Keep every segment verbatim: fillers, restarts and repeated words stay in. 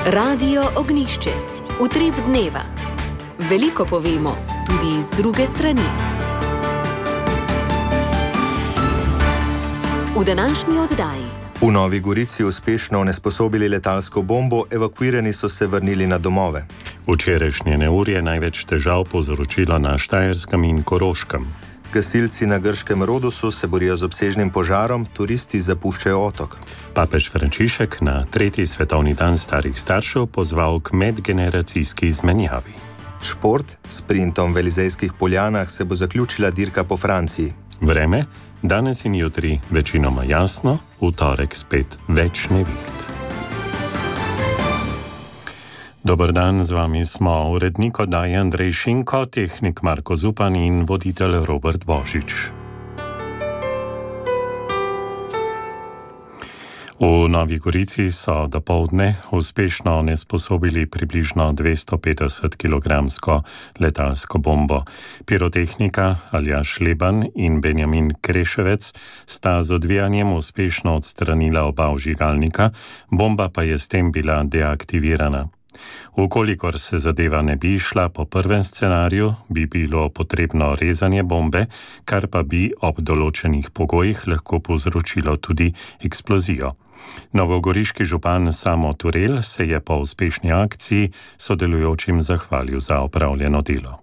Radio Ognjišče. Utrip dneva. Veliko povemo, tudi iz druge strani. V današnji oddaji. V Novi Gorici uspešno onesposobili letalsko bombo, evakuirani so se vrnili na domove. Včerajšnje neurje je največ težav povzročilo na Štajerskem in Koroškem. Gasilci na grškem Rodosu se borijo z obsežnim požarom, turisti zapuščajo otok. Papež Frančišek na tretji svetovni dan starih staršev pozval k medgeneracijski izmenjavi. Šport, s sprintom v Elizejskih Poljanah se bo zaključila dirka po Franciji. Vreme, danes in jutri večinoma jasno, v torek spet več neviht. Dober dan, z vami smo urednik oddaje Andrej Šinko, tehnik Marko Zupan in voditelj Robert Božič. V Novi Gorici so dopoldne uspešno onesposobili približno dvesto petdeset kilogramsko letalsko bombo. Pirotehnika Aljaž Leban in Benjamin Kreševec sta z odvijanjem uspešno odstranila oba vžigalnika, bomba pa je s tem bila deaktivirana. Ukolikor se zadeva ne bi šla po prvem scenariju, bi bilo potrebno rezanje bombe, kar pa bi ob določenih pogojih lahko povzročilo tudi eksplozijo. Novogoriški župan Samo Turel se je po uspešni akciji sodelujočim zahvalil za opravljeno delo.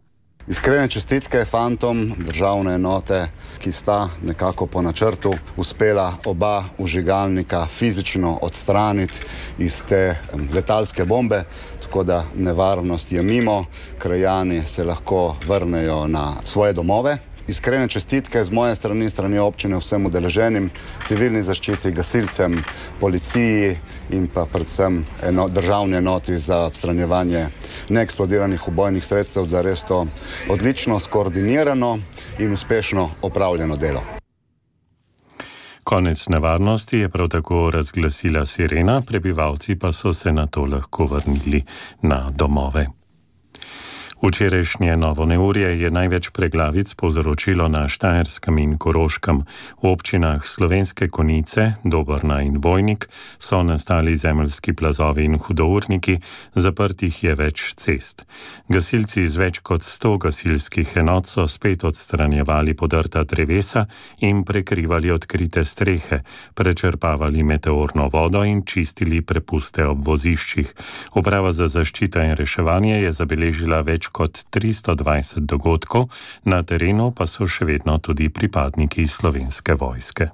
Iskrene čestitke fantom državne enote, ki sta nekako po načrtu uspela oba vžigalnika fizično odstraniti iz te letalske bombe, tako da nevarnost je mimo, krajani se lahko vrnejo na svoje domove. Iskrene čestitke z moje strani, strani občine vsem udeleženim, civilni zaščiti, gasilcem, policiji in pa predvsem eno, državni enoti za odstranjevanje neeksplodiranih ubojnih sredstev, za res to odlično, skoordinirano in uspešno opravljeno delo. Konec nevarnosti je prav tako razglasila sirena, prebivalci pa so se na to lahko vrnili na domove. Včerajšnje novo neurje je največ preglavic povzročilo na Štajerskem in Koroškem. V občinah Slovenske Konjice, Dobrna in Vojnik so nastali zemeljski plazovi in hudourniki, zaprtih je več cest. Gasilci iz več kot sto gasilskih enot so spet odstranjevali podrta drevesa in prekrivali odkrite strehe, prečrpavali meteorno vodo in čistili prepuste ob voziščih. Uprava za zaščito in reševanje je zabeležila več kot tristo dvajset dogodkov, na terenu pa so še vedno tudi pripadniki Slovenske vojske.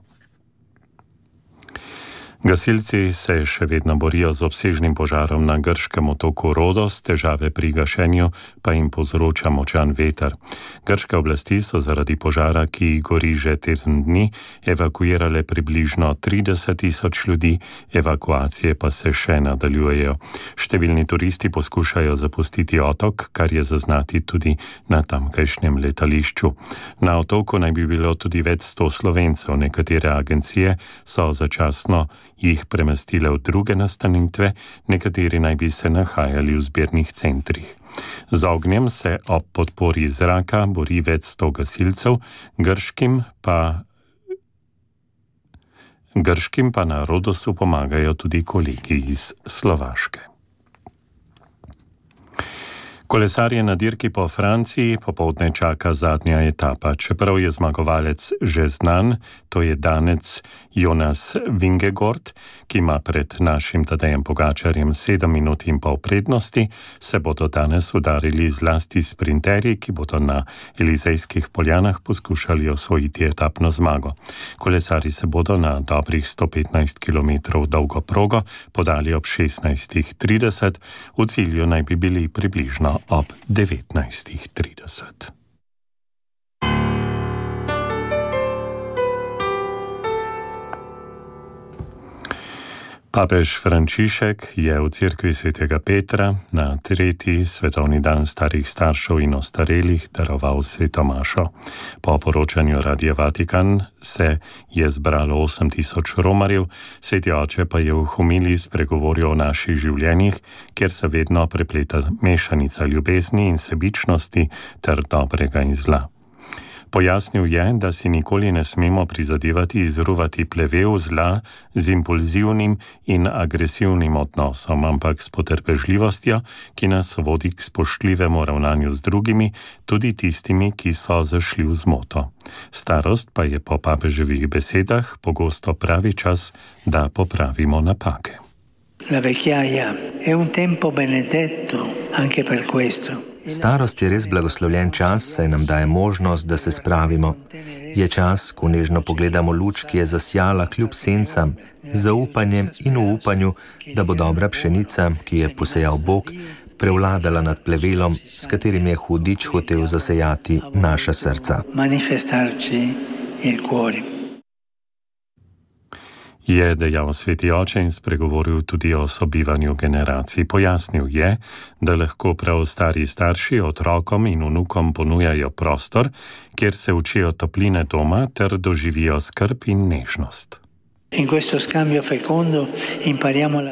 Gasilci se še vedno borijo z obsežnim požarom na grškem otoku Rodos, težave pri gašenju pa jim povzroča močan veter. Grške oblasti so zaradi požara, ki gori že teden dni, evakuirale približno trideset tisoč ljudi, evakuacije pa se še nadaljujejo. Številni turisti poskušajo zapustiti otok, kar je zaznati tudi na tamkajšnjem letališču. Na otoku naj bi bilo tudi več sto Slovencev, nekatere agencije so začasno jih premestile v druge nastanitve, nekateri naj bi se nahajali v zbirnih centrih. Z ognjem se ob podpori zraka bori več sto gasilcev, grškim pa, grškim pa na Rodosu pomagajo tudi kolegi iz Slovaške. Kolesarje na dirki po Franciji popoldne čaka zadnja etapa. Čeprav je zmagovalec že znan, to je Danec Jonas Vingegaard, ki ima pred našim Tadejem Pogačarjem sedem minut in pol prednosti, se bodo danes udarili zlasti sprinterji, ki bodo na Elizejskih Poljanah poskušali osvojiti etapno zmago. Kolesarji se bodo na dobrih sto petnajst kilometrov dolgo progo podali ob šestnajst trideset, v cilju naj bi bili približno ob devetnajst trideset. Papež Frančišek je v cerkvi svetega Petra na tretji svetovni dan starih staršev in ostarelih daroval sveto mašo. Po poročanju Radia Vatikan se je zbralo osem tisoč romarjev, sveti oče pa je v homiliji spregovoril o naših življenjih, kjer se vedno prepleta mešanica ljubezni in sebičnosti ter dobrega in zla. Pojasnil je, da si nikoli ne smemo prizadevati izruvati plevel zla z impulzivnim in agresivnim odnosom, ampak s potrpežljivostjo, ki nas vodi k spoštljivemu ravnanju z drugimi, tudi tistimi, ki so zašli v zmoto. Starost pa je po papeževih besedah pogosto pravi čas, da popravimo napake. La vecchiaia è un tempo benedetto anche per questo. Starost je res blagoslovljen čas, saj nam daje možnost, da se spravimo. Je čas, ko nežno pogledamo luč, ki je zasjala kljub sencam, z zaupanjem in v upanju, da bo dobra pšenica, ki je posejal Bog, prevladala nad plevelom, s katerim je hudič hotel zasejati naša srca. Manifestarci il cuore. Je dejal sveti oče in spregovoril tudi o sobivanju generacij. Pojasnil je, da lahko prav stari starši otrokom in vnukom ponujajo prostor, kjer se učijo topline doma ter doživijo skrb in nežnost.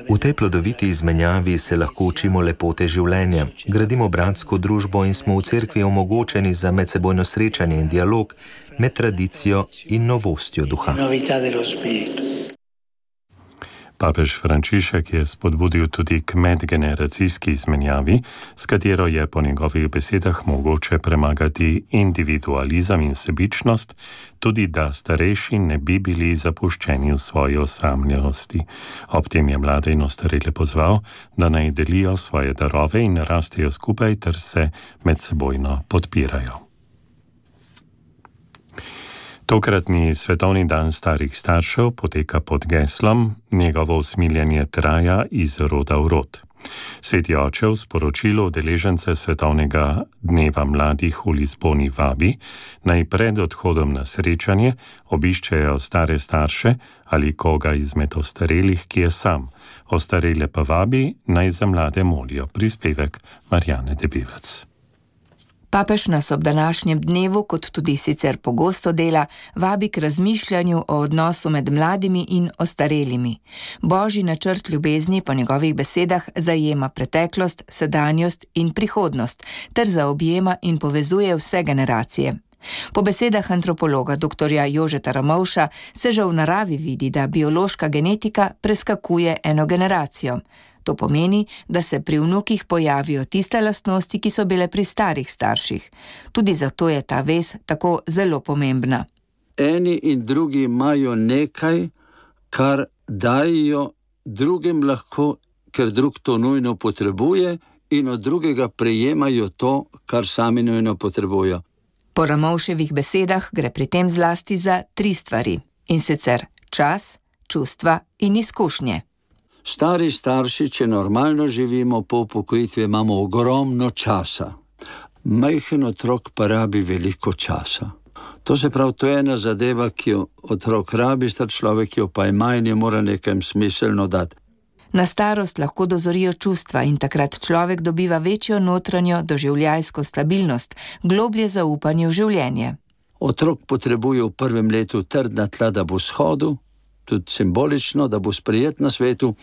V tej plodoviti izmenjavi se lahko učimo lepote življenja, gradimo bratsko družbo in smo v cerkvi omogočeni za medsebojno srečanje in dialog med tradicijo in novostjo duha. Papež Frančišek je spodbudil tudi k medgeneracijski izmenjavi, s katero je po njegovih besedah mogoče premagati individualizem in sebičnost, tudi da starejši ne bi bili zapuščeni v svoji osamljenosti. Ob tem je mlade in ostarele pozval, da naj delijo svoje darove in rastejo skupaj ter se medsebojno podpirajo. Tokratni svetovni dan starih staršev poteka pod geslom Njegovo usmiljenje traja iz roda v rod. Sveti oče v sporočilu udeležence svetovnega dneva mladih v Lizboni vabi, naj pred odhodom na srečanje obiščejo stare starše ali koga izmed ostarelih, ki je sam. Ostarele pa vabi, naj za mlade molijo. Prispevek Marjane Debevec. Papež nas ob današnjem dnevu, kot tudi sicer pogosto dela, vabi k razmišljanju o odnosu med mladimi in ostarelimi. Božji načrt ljubezni po njegovih besedah zajema preteklost, sedanjost in prihodnost, ter zaobjema in povezuje vse generacije. Po besedah antropologa doktorja Jožeta Ramovša se že v naravi vidi, da biološka genetika preskakuje eno generacijo. To pomeni, da se pri vnukih pojavijo tiste lastnosti, ki so bile pri starih starših. Tudi zato je ta vez tako zelo pomembna. Eni in drugi imajo nekaj, kar dajo drugim lahko, ker drug to nujno potrebuje, in od drugega prejemajo to, kar sami nujno potrebujo. Po Ramovševih besedah gre pri tem zlasti za tri stvari, in sicer čas, čustva in izkušnje. Stari starši, če normalno živimo po upokojitvi, imamo ogromno časa. Majhen otrok pa rabi veliko časa. To se pravi, to je ena zadeva, ki jo otrok rabi, star človek jo pa ima in je mora nekaj smiselno dati. Na starost lahko dozorijo čustva in takrat človek dobiva večjo notranjo doživljajsko stabilnost, globlje zaupanje v življenje. Otrok potrebuje v prvem letu trdna tla, da bo shodil, tudi simbolično, da bo sprejet na svetu,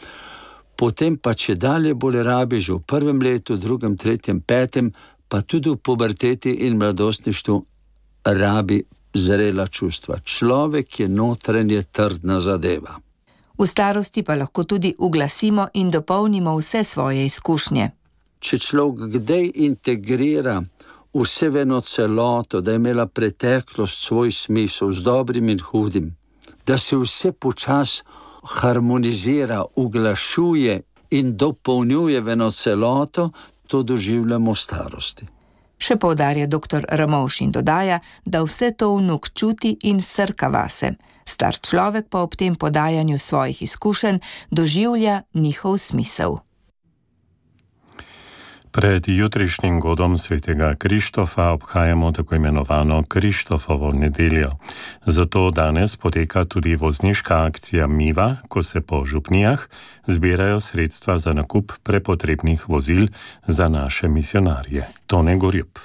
potem pa če dalje bolj rabi že v prvem letu, drugem, tretjem, petem, pa tudi v puberteti in mladostništvu rabi zrela čustva. Človek je notranje trdna zadeva. V starosti pa lahko tudi uglasimo in dopolnimo vse svoje izkušnje. Če človek kdaj integrira vse v eno celoto, da je imela preteklost svoj smisel z dobrim in hudim, da se vse počas harmonizira, uglašuje in dopolnjuje v eno celoto, to doživljamo v starosti. Še poudarja doktor Ramovš in dodaja, da vse to vnuk čuti in srka vase. Star človek pa ob tem podajanju svojih izkušenj doživlja njihov smisel. Pred jutrišnjim godom svetega Krištofa obhajamo tako imenovano Krištofovo nedeljo. Zato danes poteka tudi vozniška akcija Miva, ko se po župnijah zbirajo sredstva za nakup prepotrebnih vozil za naše misionarje. Tone Gorjup.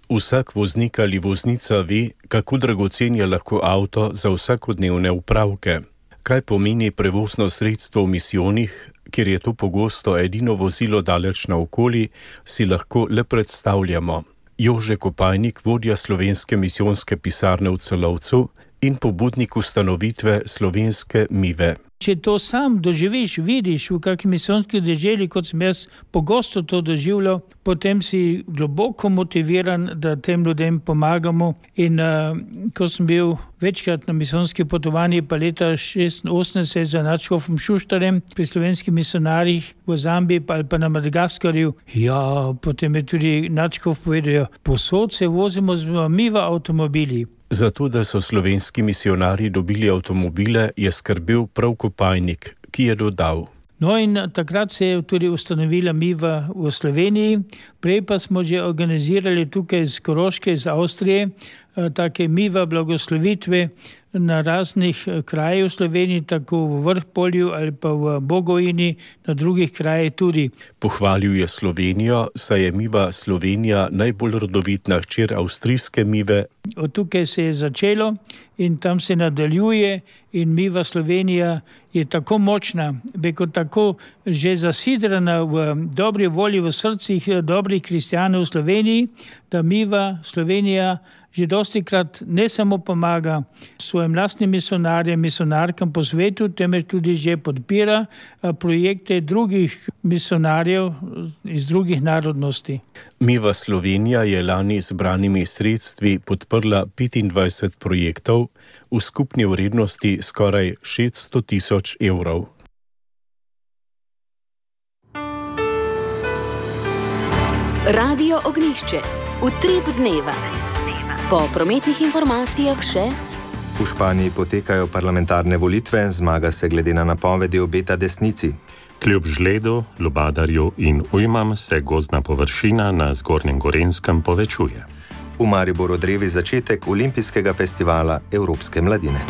Vsak voznik ali voznica ve, kako dragocen je lahko avto za vsakodnevne upravke. Kaj pomeni prevozno sredstvo v misijonih, kjer je to pogosto edino vozilo daleč naokoli, si lahko le predstavljamo. Jože Kopajnik, vodja slovenske misijonske pisarne v Celovcu in pobudnik ustanovitve slovenske Mive. Če to sam doživiš, vidiš v kakšni misijonski deželi, kot sem jaz pogosto to doživljal, potem si globoko motiviran, da tem ljudem pomagamo. In uh, ko sem bil večkrat na misijonski potovanji, pa leta šestinosemdeset za nadškofom Šuštarjem pri slovenskih misionarjih v Zambiji ali pa na Madagaskarju, ja, potem je tudi nadškof povedal, posod se vozimo z Miva avtomobili. Zato, da so slovenski misionarji dobili avtomobile, je skrbel prav Kopajnik, ki je dodal. No in takrat se je tudi ustanovila Miva v Sloveniji, prej pa smo že organizirali tukaj iz Koroške, iz Avstrije, take Miva blagoslovitve na raznih krajih v Sloveniji, tako v Vrhpolju ali pa v Bogojini, na drugih krajih tudi. Pohvalil je Slovenijo, saj je Miva Slovenija najbolj rodovitna hčer avstrijske Mive. Od tukaj se je začelo in tam se nadaljuje in Miva Slovenija je tako močna, beko tako že zasidrana v dobri volji v srcih dobrih kristjanov v Sloveniji, da Miva Slovenija že dostikrat ne samo pomaga svojim lastnim misionarjem, misionarkam po svetu, temveč tudi že podpira projekte drugih misionarjev iz drugih narodnosti. Miva Slovenija je lani z zbranimi sredstvi podprla petindvajset projektov v skupni vrednosti skoraj šeststo tisoč evrov. Radio Ognjišče. Utrip dneva. Po prometnih informacijah še. V Španiji potekajo parlamentarne volitve, zmaga se glede na napovedi obeta desnici. Kljub žledu, lubadarju in ujmam se gozdna površina na Zgornjem Gorenjskem povečuje. V Mariboru drevi začetek olimpijskega festivala Evropske mladine.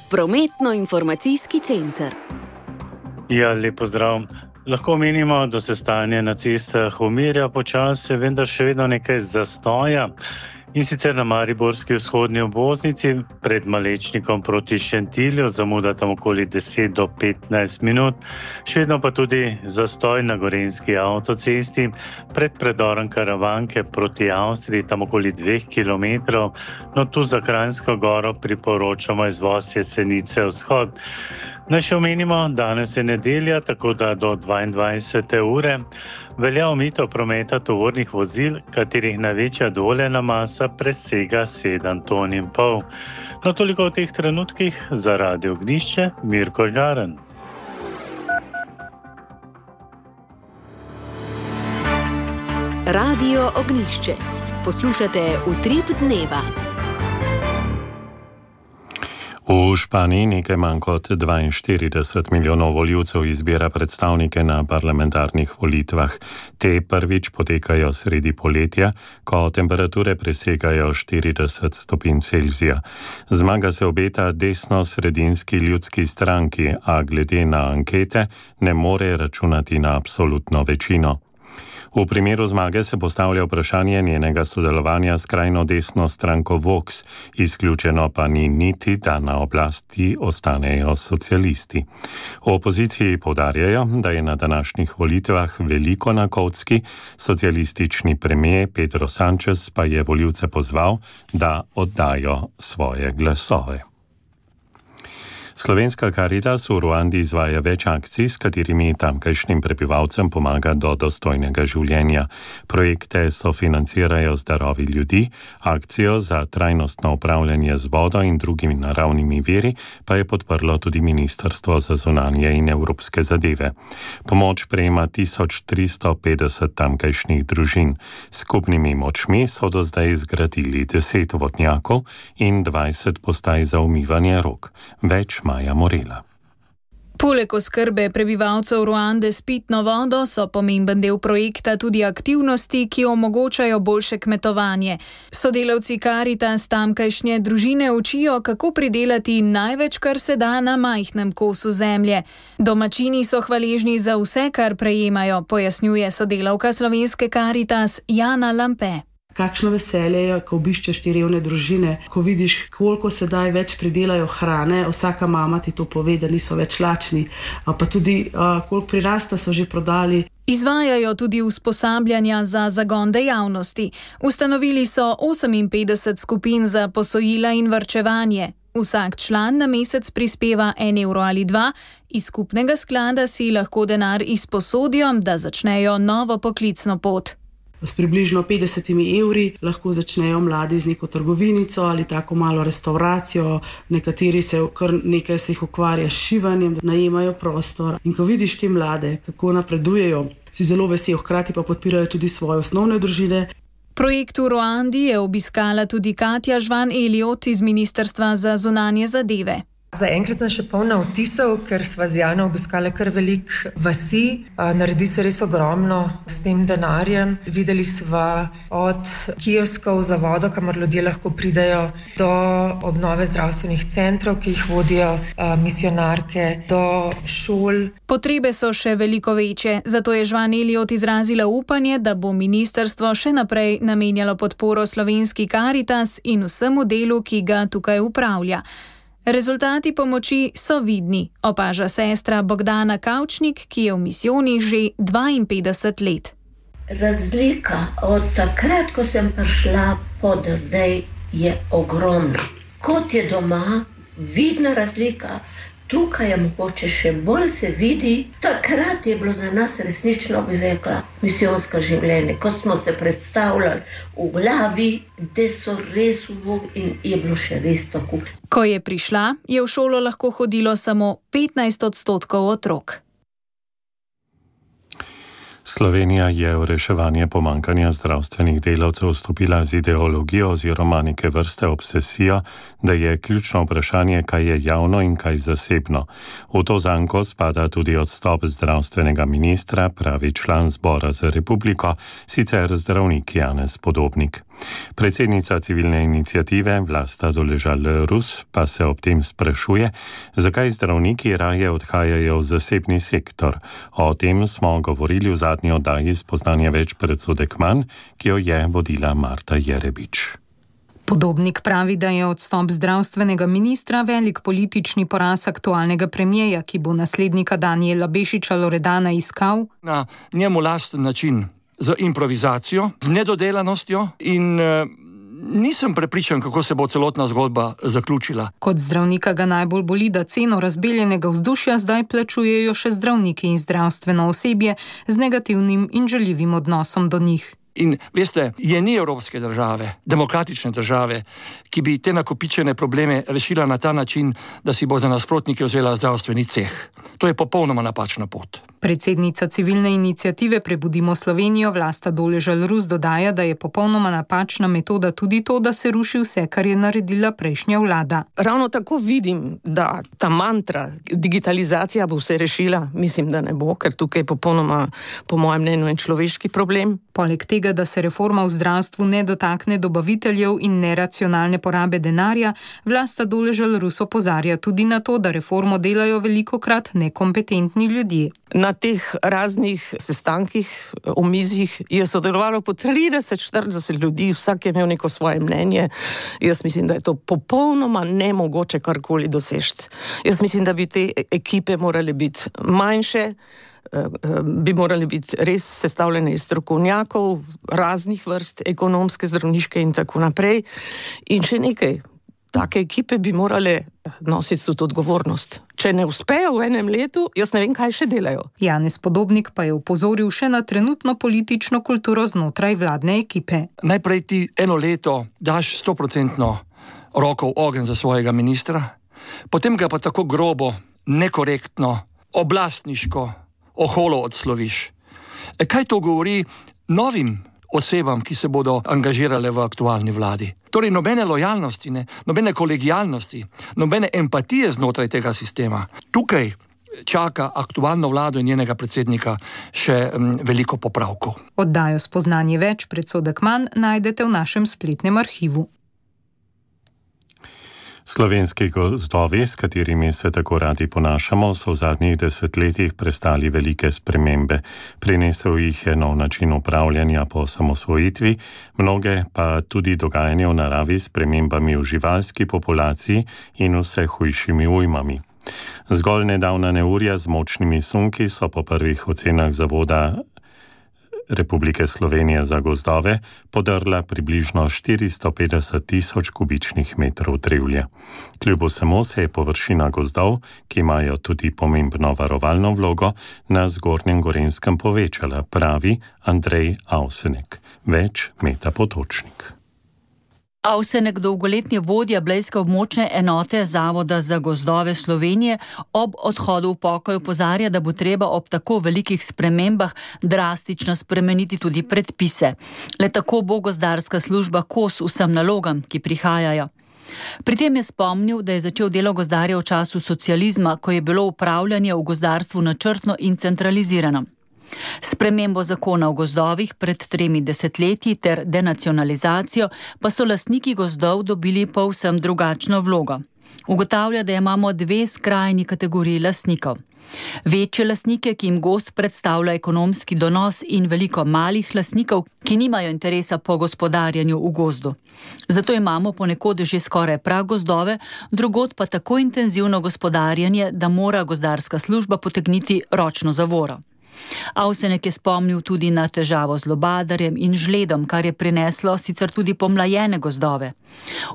Prometno-informacijski center. Ja, lep pozdrav. Lahko menimo, da se stanje na cestah umirja počasi, vendar še vedno nekaj zastoja. In sicer na mariborski vzhodni obvoznici pred Malečnikom proti Šentilju zamuda tam okoli deset do petnajst minut. Še vedno pa tudi zastoj na gorenjski avtocesti pred predorom Karavanke proti Avstriji tam okoli dveh kilometrov. No tu za Kranjsko goro priporočamo izvoz Jesenice vzhod. Naj še omenimo, danes je nedelja, tako da do dvaindvajsete ure velja omejitev prometa tovornih vozil, katerih največja dovoljena masa presega sedem ton in pol. No, toliko v teh trenutkih za Radio Ognjišče, Mirko Žaren. Radio Ognjišče. Poslušate Utrip dneva. V Španiji nekaj manj kot dvainštirideset milijonov volivcev izbira predstavnike na parlamentarnih volitvah. Te prvič potekajo sredi poletja, ko temperature presegajo štirideset stopinj Celzija. Zmaga se obeta desno-sredinski ljudski stranki, a glede na ankete ne more računati na absolutno večino. V primeru zmage se postavlja vprašanje njenega sodelovanja s krajno desno stranko Vox, izključeno pa ni niti, da na oblasti ostanejo socialisti. V opoziciji poudarjajo, da je na današnjih volitvah veliko na kocki, socialistični premijer Pedro Sánchez pa je volivce pozval, da oddajo svoje glasove. Slovenska Karitas v Ruandi izvaja več akcij, s katerimi tamkajšnjim prebivalcem pomaga do dostojnega življenja. Projekte sofinancirajo z darovi ljudi, akcijo za trajnostno upravljanje z vodo in drugimi naravnimi viri pa je podprlo tudi Ministrstvo za zunanje in evropske zadeve. Pomoč prejema tisoč tristo petdeset tamkajšnjih družin. Skupnimi močmi so do zdaj zgradili deset vodnjakov in dvajset postaj za umivanje rok. Več Maja Morela. Poleg oskrbe prebivalcev Ruande s pitno vodo so pomemben del projekta tudi aktivnosti, ki omogočajo boljše kmetovanje. Sodelavci Karitas tamkajšnje družine učijo, kako pridelati največ, kar se da na majhnem kosu zemlje. Domačini so hvaležni za vse, kar prejemajo, pojasnjuje sodelavka slovenske Karitas Jana Lampe. Kakšno veselje je, ko obiščeš te revne družine, ko vidiš, koliko sedaj več pridelajo hrane, vsaka mama ti to pove, da niso več lačni, pa tudi koliko prirasta so že prodali. Izvajajo tudi usposabljanja za zagon dejavnosti. Ustanovili so oseminpetdeset skupin za posojila in varčevanje. Vsak član na mesec prispeva en evro ali dva, iz skupnega sklada si lahko denar izposodijo, da začnejo novo poklicno pot. S približno petdesetimi evri lahko začnejo mladi z neko trgovinico ali tako malo restauracijo, nekateri se kar nekaj se jih ukvarja s šivanjem, najemajo prostor. In ko vidiš te mlade, kako napredujejo, si zelo vesel, hkrati pa podpirajo tudi svoje osnovne družine. Projekt v Ruandi je obiskala tudi Katja Žvan-Eliot iz Ministrstva za zunanje zadeve. Zaenkrat sem še polna vtisov, ker sva z Jano obiskala kar velik vasi. Naredi se res ogromno s tem denarjem. Videli sva od kioskov za vodo, kamor ljudje lahko pridejo, do obnove zdravstvenih centrov, ki jih vodijo misionarke, do šol. Potrebe so še veliko večje, zato je Žvan-Eliot izrazila upanje, da bo ministrstvo še naprej namenjalo podporo slovenski Karitas in vsemu delu, ki ga tukaj upravlja. Rezultati pomoči so vidni, opaža sestra Bogdana Kavčnik, ki je v misijonih že dvainpetdeset let. Razlika od takrat, ko sem prišla, pa do zdaj je ogromna. Kot je doma, vidna razlika. Tukaj je mogoče še bolj se vidi. Takrat je bilo za nas resnično, bi rekla, misijonsko življenje, ko smo se predstavljali v glavi, da so res v Bog in je bilo še res tako. Ko je prišla, je v šolo lahko hodilo samo petnajst odstotkov otrok. Slovenija je v reševanje pomankanja zdravstvenih delavcev vstopila z ideologijo oziroma neke vrste obsesijo, da je ključno vprašanje, kaj je javno in kaj zasebno. V to zanko spada tudi odstop zdravstvenega ministra, pravi član Zbora za republiko, sicer zdravnik Janez Podobnik. Predsednica civilne iniciative Vlasta Doležal-Rus pa se ob tem sprašuje, zakaj zdravniki raje odhajajo v zasebni sektor. O tem smo govorili v zadnji oddaji Spoznanje več predsodek manj, ki jo je vodila Marta Jerebič. Podobnik pravi, da je odstop zdravstvenega ministra velik politični poraz aktualnega premijeja, ki bo naslednika Danijela Bešiča Loredana iskal na njemu lasten način, z improvizacijo, z nedodelanostjo in e, nisem prepričan, kako se bo celotna zgodba zaključila. Kot zdravnika ga najbolj boli, da ceno razbeljenega vzdušja zdaj plačujejo še zdravniki in zdravstveno osebje z negativnim in žaljivim odnosom do njih. In veste, je ni evropske države, demokratične države, ki bi te nakopičene probleme rešila na ta način, da si bo za nasprotnike vzela zdravstveni ceh. To je popolnoma napačna pot. Predsednica civilne iniciative Prebudimo Slovenijo Vlasta Doležal-Rus dodaja, da je popolnoma napačna metoda tudi to, da se ruši vse, kar je naredila prejšnja vlada. Ravno tako vidim, da ta mantra, digitalizacija bo vse rešila, mislim, da ne bo, ker tukaj je popolnoma, po mojem mnenju, en človeški problem. Poleg tega, da se reforma v zdravstvu ne dotakne dobaviteljev in neracionalne porabe denarja, Vlasta Doležal-Rus opozarja tudi na to, da reformo delajo velikokrat nekompetentni ljudje. Na teh raznih sestankih, omizjih je sodelovalo po trideset štirideset ljudi, vsak je imel neko svoje mnenje. Jaz mislim, da je to popolnoma nemogoče karkoli doseči. Jaz mislim, da bi te ekipe morale biti manjše, bi morali biti res sestavljene iz strokovnjakov, raznih vrst, ekonomske, zdravniške in tako naprej. In še nekaj, take ekipe bi morale nositi tudi odgovornost. Če ne uspejo v enem letu, jaz ne vem, kaj še delajo. Janez Podobnik pa je upozoril še na trenutno politično kulturo znotraj vladne ekipe. Najprej ti eno leto daš stoprocentno roko v ogenj za svojega ministra, potem ga pa tako grobo, nekorektno, oblastniško, oholo odsloviš. Kaj to govori novim osebam, ki se bodo angažirale v aktualni vladi? Torej nobene lojalnosti, ne, nobene kolegijalnosti, nobene empatije znotraj tega sistema. Tukaj čaka aktualno vlado in njenega predsednika še m, veliko popravkov. Oddajo Spoznanje več predsodek manj najdete v našem spletnem arhivu. Slovenski gozdovi, s katerimi se tako radi ponašamo, so v zadnjih desetletjih prestali velike spremembe. Prinesel jih je nov način upravljanja po osamosvojitvi, mnoge pa tudi dogajanje v naravi s spremembami v živalski populaciji in vse hujšimi ujmami. Zgolj nedavna neurja z močnimi sunki so po prvih ocenah Zavoda Republike Slovenije za gozdove podrla približno štiristo petdeset tisoč kubičnih metrov drevja. Kljub vsemu se je površina gozdov, ki imajo tudi pomembno varovalno vlogo, na Zgornjem Gorenjskem povečala, pravi Andrej Avsenek. Več Meta Potočnik. Avsenek, dolgoletni vodja blejske območne enote Zavoda za gozdove Slovenije, ob odhodu v pokoj opozarja, da bo treba ob tako velikih spremembah drastično spremeniti tudi predpise. Le tako bo gozdarska služba kos vsem nalogam, ki prihajajo. Pri tem je spomnil, da je začel delo gozdarja v času socializma, ko je bilo upravljanje v gozdarstvu načrtno in centralizirano. Spremembo zakona o gozdovih pred tremi desetletji ter denacionalizacijo pa so lastniki gozdov dobili povsem drugačno vlogo. Ugotavlja, da imamo dve skrajni kategoriji lastnikov. Večje lastnike, ki jim gozd predstavlja ekonomski donos, in veliko malih lastnikov, ki nimajo interesa po gospodarjanju v gozdu. Zato imamo ponekod že skoraj pragozdove, drugod pa tako intenzivno gospodarjanje, da mora gozdarska služba potegniti ročno zavoro. Avsenek je spomnil tudi na težavo z lobadarjem in žledom, kar je prineslo sicer tudi pomlajene gozdove.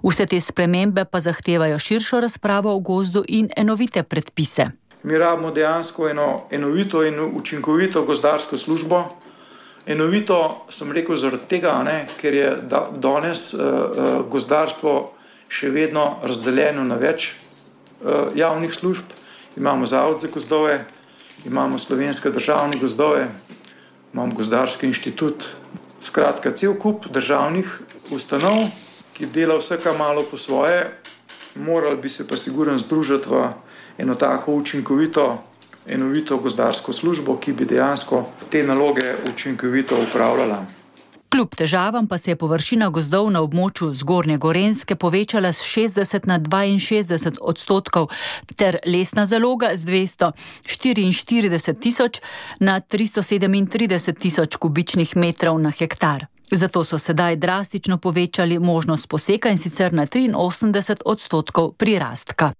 Vse te spremembe pa zahtevajo širšo razpravo o gozdu in enovite predpise. Mi rabimo dejansko eno enovito in učinkovito gozdarsko službo. Enovito sem rekel zaradi tega, ne, ker je da, danes uh, gozdarstvo še vedno razdeljeno na več uh, javnih služb. Imamo Zavod za gozdove, imamo Slovenske državne gozdove, imamo Gozdarski inštitut. Skratka, cel kup državnih ustanov, ki dela vsaka malo po svoje, morali bi se pa sigurno združiti v eno tako učinkovito, enovito gozdarsko službo, ki bi dejansko te naloge učinkovito upravljala. Kljub težavam pa se je površina gozdov na območju Zgornje Gorenjske povečala s šestdeset na dvainšestdeset odstotkov ter lesna zaloga z dvesto štiriinštirideset tisoč na tristo sedemintrideset tisoč kubičnih metrov na hektar. Zato so sedaj drastično povečali možnost poseka, in sicer na triinosemdeset odstotkov prirastka.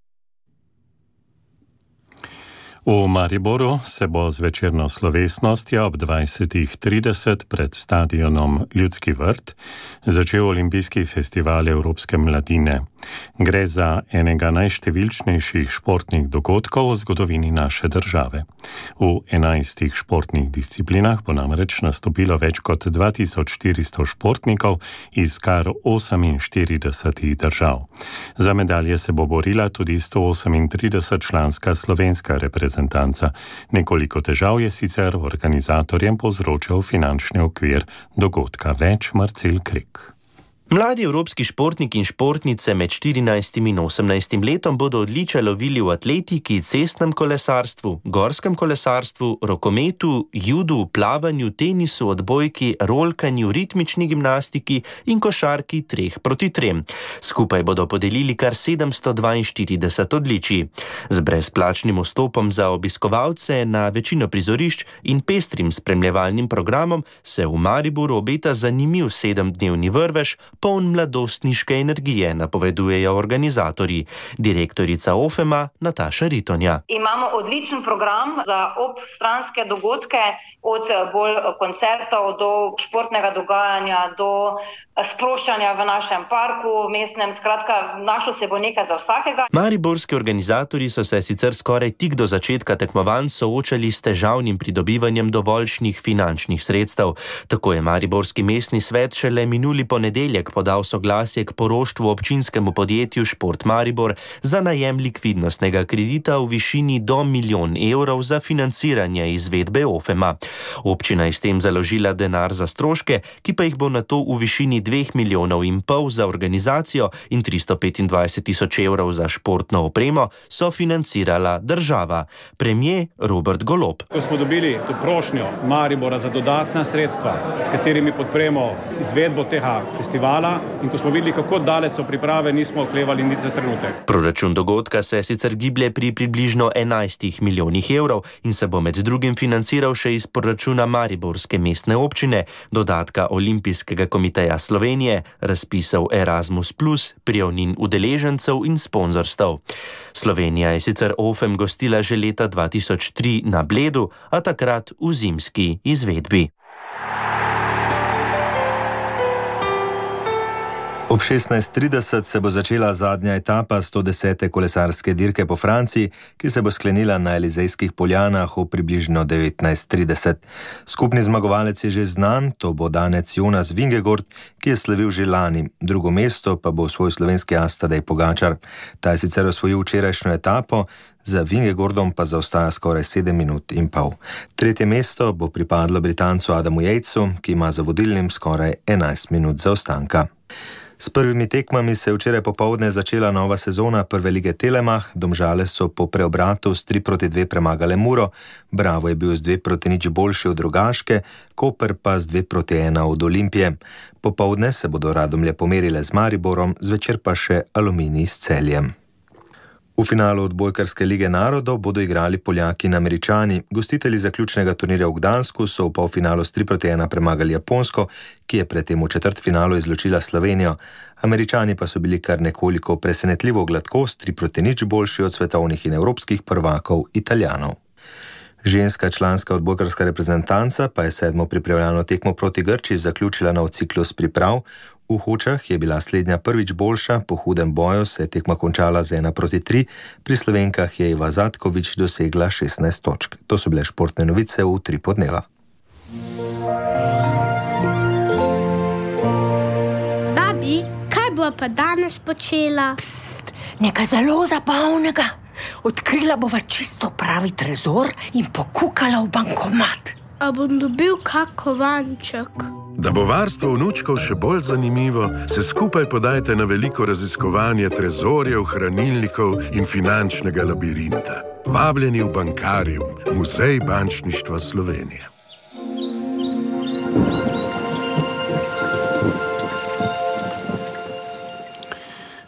V Mariboru se bo z večerno slovesnostjo ob dvajsetih trideset pred stadionom Ljudski vrt začel olimpijski festival Evropske mladine. Gre za enega najštevilčnejših športnih dogodkov v zgodovini naše države. V enajstih športnih disciplinah bo namreč nastopilo več kot dva tisoč štiristo športnikov iz kar oseminštiridesetih držav. Za medalje se bo borila tudi sto osemintrideset članska slovenska reprezentanca. Nekoliko težav je sicer organizatorjem povzročal finančni okvir dogodka. Več Marcel Krek. Mladi evropski športniki in športnice med štirinajstim in osemnajstim letom bodo odličja lovili v atletiki, cestnem kolesarstvu, gorskem kolesarstvu, rokometu, judu, plavanju, tenisu, odbojki, rolkanju, ritmični gimnastiki in košarki treh proti trem. Skupaj bodo podelili kar sedemsto dvainštirideset odličij. Z brezplačnim vstopom za obiskovalce na večino prizorišč in pestrim spremljevalnim programom se v Mariboru obeta zanimiv sedemdnevni vrvež, poln mladostniške energije, napovedujejo organizatorji. Direktorica Ofema Nataša Ritonja. Imamo odličen program za obstranske dogodke, od bolj koncertov do športnega dogajanja, do sproščanja v našem parku, mestnem, skratka, našlo se bo nekaj za vsakega. Mariborski organizatorji so se sicer skoraj tik do začetka tekmovanj soočali s težavnim pridobivanjem dovoljšnih finančnih sredstev. Tako je Mariborski mestni svet šele minuli ponedeljek podal soglasje k poroštvu občinskemu podjetju Šport Maribor za najem likvidnostnega kredita v višini do milijon evrov za financiranje izvedbe Ofema. Občina je s tem založila denar za stroške, ki pa jih bo nato v višini dveh milijonov in pol za organizacijo in tristo petindvajset tisoč evrov za športno opremo sofinancirala država. Premier Robert Golob. Ko smo dobili to prošnjo Maribora za dodatna sredstva, s katerimi podpremo izvedbo tega festivala, in ko smo videli, kako daleč so priprave, nismo oklevali niti za trenutek. Proračun dogodka se sicer giblje pri približno enajstih milijonih evrov in se bo med drugim financiral še iz proračuna Mariborske mestne občine, dodatka Olimpijskega komiteja Slovenije, razpisov Erasmus plus, prijavnin udeležencev in sponzorstev. Slovenija je sicer Ofem gostila že leta dva tisoč tri na Bledu, a takrat v zimski izvedbi. Ob šestnajst trideset se bo začela zadnja etapa sto desete kolesarske dirke po Franciji, ki se bo sklenila na Elizejskih poljanah v približno devetnajst trideset. Skupni zmagovalec je že znan, to bo Danec Jonas Vingegaard, ki je slavil že lani. Drugo mesto pa bo svoj slovenski as Tadej Pogačar. Ta je sicer osvojil včerajšnjo etapo, za Vingegaardom pa zaostaja skoraj sedem minut in pol. Tretje mesto bo pripadlo Britancu Adamu Yatesu, ki ima za vodilnim skoraj enajst minut zaostanka. S prvimi tekmami se je včeraj popoldne začela nova sezona prve lige Telemach. Domžale so po preobratu s tri proti dve premagale Muro, Bravo je bil z dve proti nič boljši od Rogaške, Koper pa z dve proti ena od Olimpije. Popoldne se bodo Radomlje pomerile z Mariborom, zvečer pa še Aluminij s Celjem. V finalu odbojkarske lige narodov bodo igrali Poljaki in Američani. Gostitelji zaključnega turnirja v Gdansku so v polfinalu s tri proti ena premagali Japonsko, ki je predtem v četrtfinalu izločila Slovenijo. Američani pa so bili kar nekoliko presenetljivo gladko, s tri proti nič boljši od svetovnih in evropskih prvakov Italijanov. Ženska članska odbojkarska reprezentanca pa je sedmo pripravljalno tekmo proti Grčiji zaključila nov ciklus priprav. V Hočah je bila slednja prvič boljša, po hudem boju se je tekma končala z ena proti tri, pri Slovenkah je Iva Zatkovič dosegla šestnajst točk. To so bile športne novice v tri podneva. Babi, kaj bo pa danes počela? Pst, nekaj zelo zabavnega. Odkrila bova čisto pravi trezor in pokukala v bankomat. A bom dobil kak kovanček? Da bo varstvo vnučkov še bolj zanimivo, se skupaj podajte na veliko raziskovanje trezorjev, hranilnikov in finančnega labirinta. Vabljeni v Bankarium, Muzej bančništva Slovenije.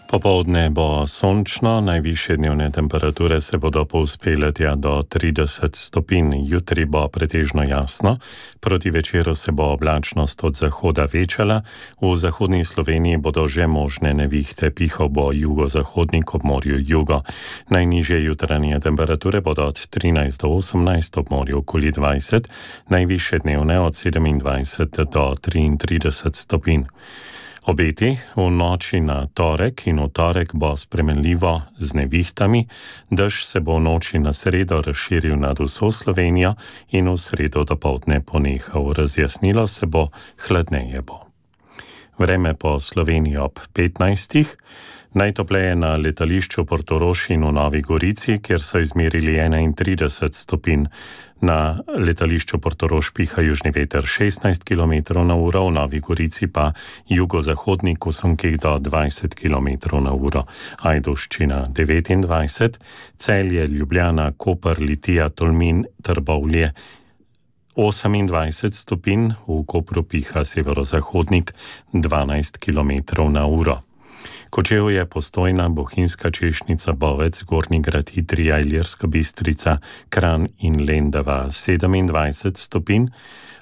Popoldne bo sončno, najvišje dnevne temperature se bodo povzpele tja do trideset stopinj. Jutri bo pretežno jasno, proti večeru se bo oblačnost od zahoda večala, v zahodni Sloveniji bodo že možne nevihte, pihal bo jugozahodnik ob morju jugo. Najnižje jutranje temperature bodo od trinajst do osemnajst, ob morju okoli dvajset, najvišje dnevne od sedemindvajset do triintrideset stopinj. Obeti v noči na torek in v torek bo spremenljivo z nevihtami, dež se bo v noči na sredo razširil nad vso Slovenijo in v sredo dopoldne ponehal. Razjasnilo se bo, hladneje bo. Vreme po Sloveniji ob petnajstih. Najtopleje na letališču Portorož in v Novi Gorici, kjer so izmerili enaintrideset stopinj. Na letališču Portorož piha južni veter šestnajst kilometrov na uro, v Novi Gorici pa jugozahodnik v sunkih do dvajset kilometrov na uro. Ajdovščina devetindvajset, Celje, Ljubljana, Koper, Litija, Tolmin, Trbovlje osemindvajset stopinj, v Kopru piha severozahodnik dvanajst kilometrov na uro. Kočevje, Postojna, Bohinjska Češnica, Bovec, Gornji Grad, Idrija, Ilirska Bistrica, Kranj in Lendava sedemindvajset stopinj.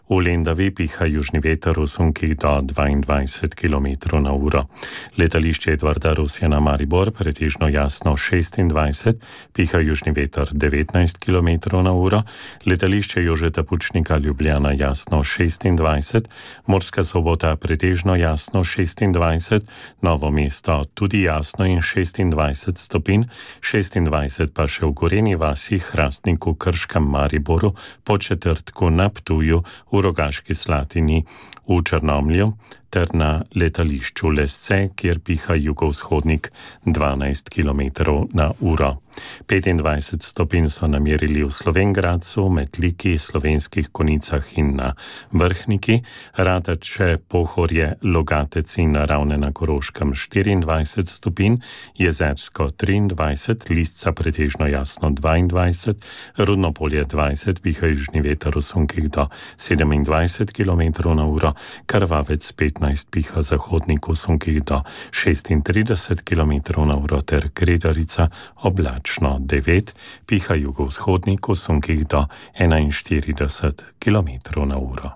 V Lendavi piha južni veter v sunkih do dvaindvajset kilometrov na uro. Letališče Edvarda Rusjana Maribor pretežno jasno šestindvajset, piha južni veter devetnajst kilometrov na uro. Letališče Jožeta Pučnika Ljubljana jasno šestindvajset, Murska Sobota pretežno jasno šestindvajset, Novo mesto tudi jasno in šestindvajset stopinj, šestindvajset pa še v Gorenji vasi, Hrastniku, Krškem, Mariboru, Podčetrtku, na Ptuju, v Rogaški Slatini, v Črnomlju ter na letališču Lesce, kjer piha jugovzhodnik dvanajst kilometrov na uro. petindvajset stopinj so namerili v Slovengradcu, Metliki, Slovenskih Konicah in na Vrhniki, Rateče, Pohorje, Logatec in Ravne na Koroškem štiriindvajset stopinj, Jezersko triindvajset, Lisca pretežno jasno dvaindvajset, Rudnopolje dvajset, piha južni veter v sunkih do sedemindvajset kilometrov na uro, Krvavec petnajst, piha zahodnik v sunkih do šestintrideset kilometrov na uro ter Kredarica oblačno devet, piha jugovzhodnik v sunkih do enainštirideset kilometrov na uro.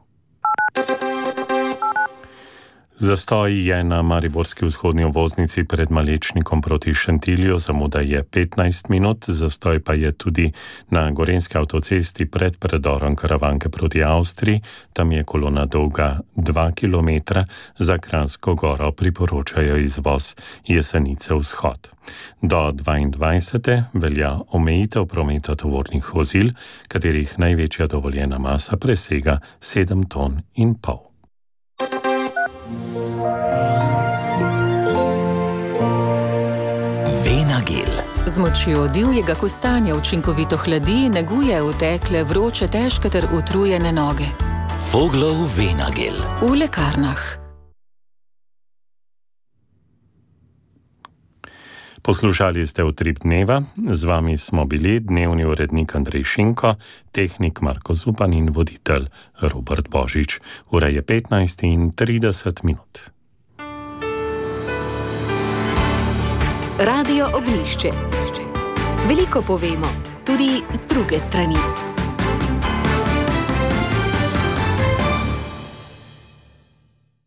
Zastoj je na mariborski vzhodni obvoznici pred Malečnikom proti Šentilju, zamuda je petnajst minut, zastoj pa je tudi na gorenski avtocesti pred predorom Karavanke proti Avstriji, tam je kolona dolga dva kilometra, za Kranjsko goro priporočajo izvoz Jesenice vzhod. Do dvaindvajsete velja omejitev prometa tovornih vozil, katerih največja dovoljena masa presega sedem ton in pol. Venagel. Z močjo divjega kostanja učinkovito hladi, neguje utekle, vroče, težke ter utrujene noge. Voglov Venagel. V lekarnah. Poslušali ste Utrip dneva, z vami smo bili dnevni urednik Andrej Šinko, tehnik Marko Zupan in voditelj Robert Božič. Ura je petnajst in trideset minut. Radio Oglišče. Veliko povemo, tudi z druge strani.